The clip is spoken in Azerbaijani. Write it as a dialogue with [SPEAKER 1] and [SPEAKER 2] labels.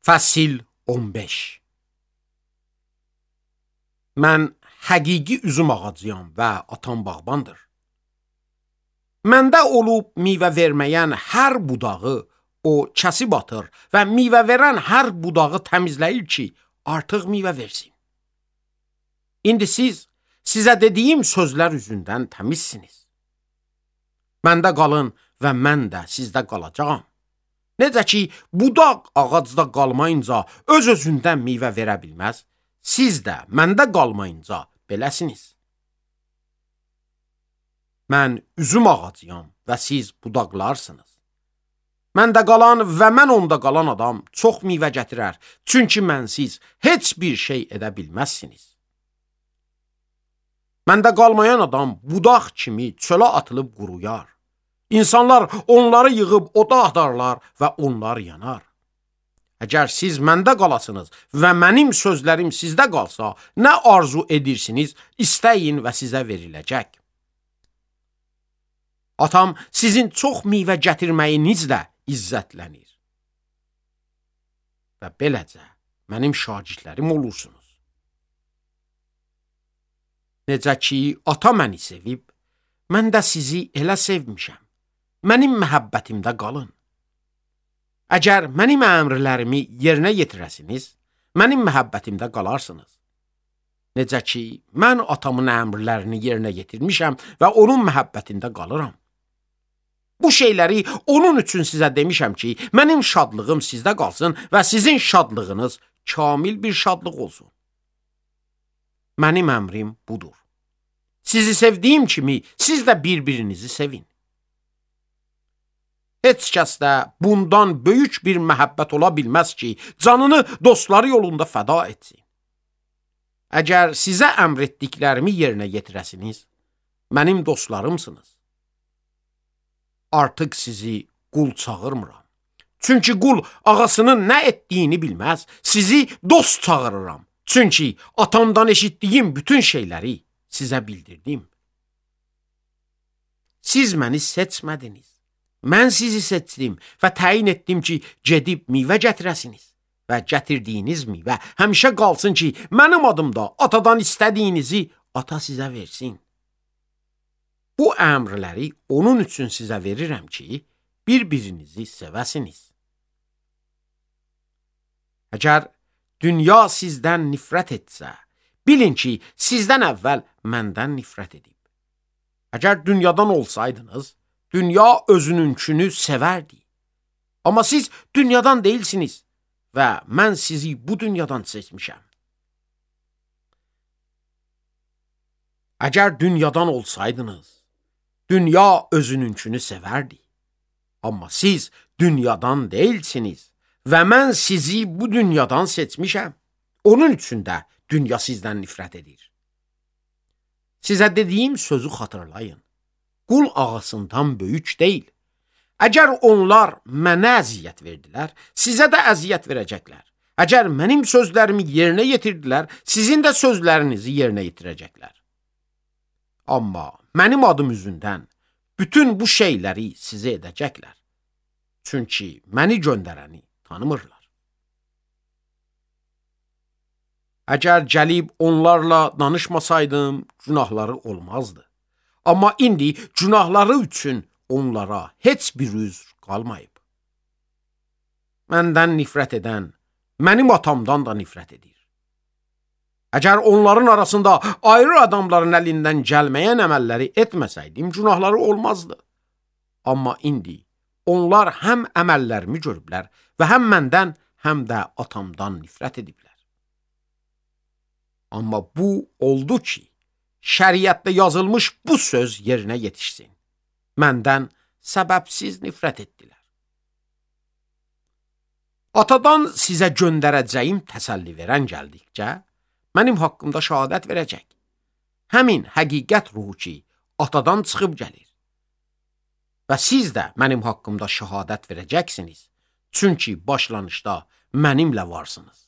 [SPEAKER 1] Fəsil 15. Mən həqiqi üzüm ağacıyam və atam bağbandır. Məndə olub meyvə verməyən hər budağı o kəsib atır və meyvə verən hər budağı təmizləyir ki, artıq meyvə versin. İndi sizə dediyim sözlər üzündən təmizsiniz. Məndə qalın və mən də sizdə qalacağam. Necə ki, budaq ağacda qalmayınca öz-özündən meyvə verə bilməz, siz də məndə qalmayınca beləsiniz. Mən üzüm ağacıyam və siz budaqlarsınız. Məndə qalan və mən onda qalan adam çox meyvə gətirər, çünki mənsiz heç bir şey edə bilməzsiniz. Məndə qalmayan adam budaq kimi çölə atılıb quruyar. İnsanlar onları yığıb oda atarlar və onlar yanar. Əgər siz məndə qalasınız və mənim sözlərim sizdə qalsa, nə arzu edirsiniz, istəyin və sizə veriləcək. Atam sizin çox meyvə gətirməyinizlə izzətlənir. Və beləcə mənim şagirdlərim olursunuz. Necə ki, ata məni sevib, mən də sizi elə sevmişəm. Mənim məhəbbətimdə qalın. Əgər mənim əmrlərimi yerinə yetirəsiniz, mənim məhəbbətimdə qalarsınız. Necə ki, mən atamın əmrlərini yerinə yetirmişəm və onun məhəbbətində qalıram. Bu şeyləri onun üçün sizə demişəm ki, mənim şadlığım sizdə qalsın və sizin şadlığınız kamil bir şadlıq olsun. Mənim əmrim budur. Sizi sevdiyim kimi, siz də bir-birinizi sevin. Heç kəs də bundan böyük bir məhəbbət ola bilməz ki, canını dostları yolunda fəda etsin. Əgər sizə əmr etdiklərimi yerinə yetirəsiniz, mənim dostlarımsınız. Artıq sizi qul çağırmıram. Çünki qul ağasının nə etdiyini bilməz, sizi dost çağırıram. Çünki atamdan eşitdiyim bütün şeyləri sizə bildirdim. Siz məni seçmədiniz. Mən sizi seçdim və təyin etdim ki, gedib meyvə gətirəsiniz və gətirdiyiniz meyvə həmişə qalsın ki, mənim adımda atadan istədiyinizi ata sizə versin. Bu əmrləri onun üçün sizə verirəm ki, bir-birinizi sevəsiniz. Əgər dünya sizdən nifrət etsə, bilin ki, sizdən əvvəl məndən nifrət edib. Əgər dünyadan olsaydınız, dünya özününkünü sevərdi. Amma siz dünyadan deyilsiniz və mən sizi bu dünyadan seçmişəm. Əgər dünyadan olsaydınız, dünya özününkünü sevərdi. Amma siz dünyadan deyilsiniz və mən sizi bu dünyadan seçmişəm. Onun üçün də dünya sizdən nifrət edir. Sizə dediyim sözü xatırlayın. Qul ağasından böyük deyil. Əgər onlar mənə əziyyət verdilər, sizə də əziyyət verəcəklər. Əgər mənim sözlərimi yerinə yetirdilər, sizin də sözlərinizi yerinə yetirəcəklər. Amma mənim adım üzündən bütün bu şeyləri sizə edəcəklər. Çünki məni göndərəni tanımırlar. Əgər gəlib onlarla danışmasaydım, günahları olmazdı. Amma indi günahları üçün onlara heç bir üzr qalmayıb. Məndən nifrət edən, mənim atamdan da nifrət edir. Əgər onların arasında ayrı adamların əlindən gəlməyən əməlləri etməsəydim, günahları olmazdı. Amma indi onlar həm əməllərimi görüblər və həm məndən, həm də atamdan nifrət ediblər. Amma bu oldu ki, şəriətdə yazılmış bu söz yerinə yetişsin. Məndən səbəbsiz nifrət etdilər. Atadan sizə göndərəcəyim təsəlli verən gəldikcə, mənim haqqımda şəhadət verəcək. Həmin həqiqət ruhu ki, atadan çıxıb gəlir. Və siz də mənim haqqımda şəhadət verəcəksiniz, çünki başlanışda mənimlə varsınız.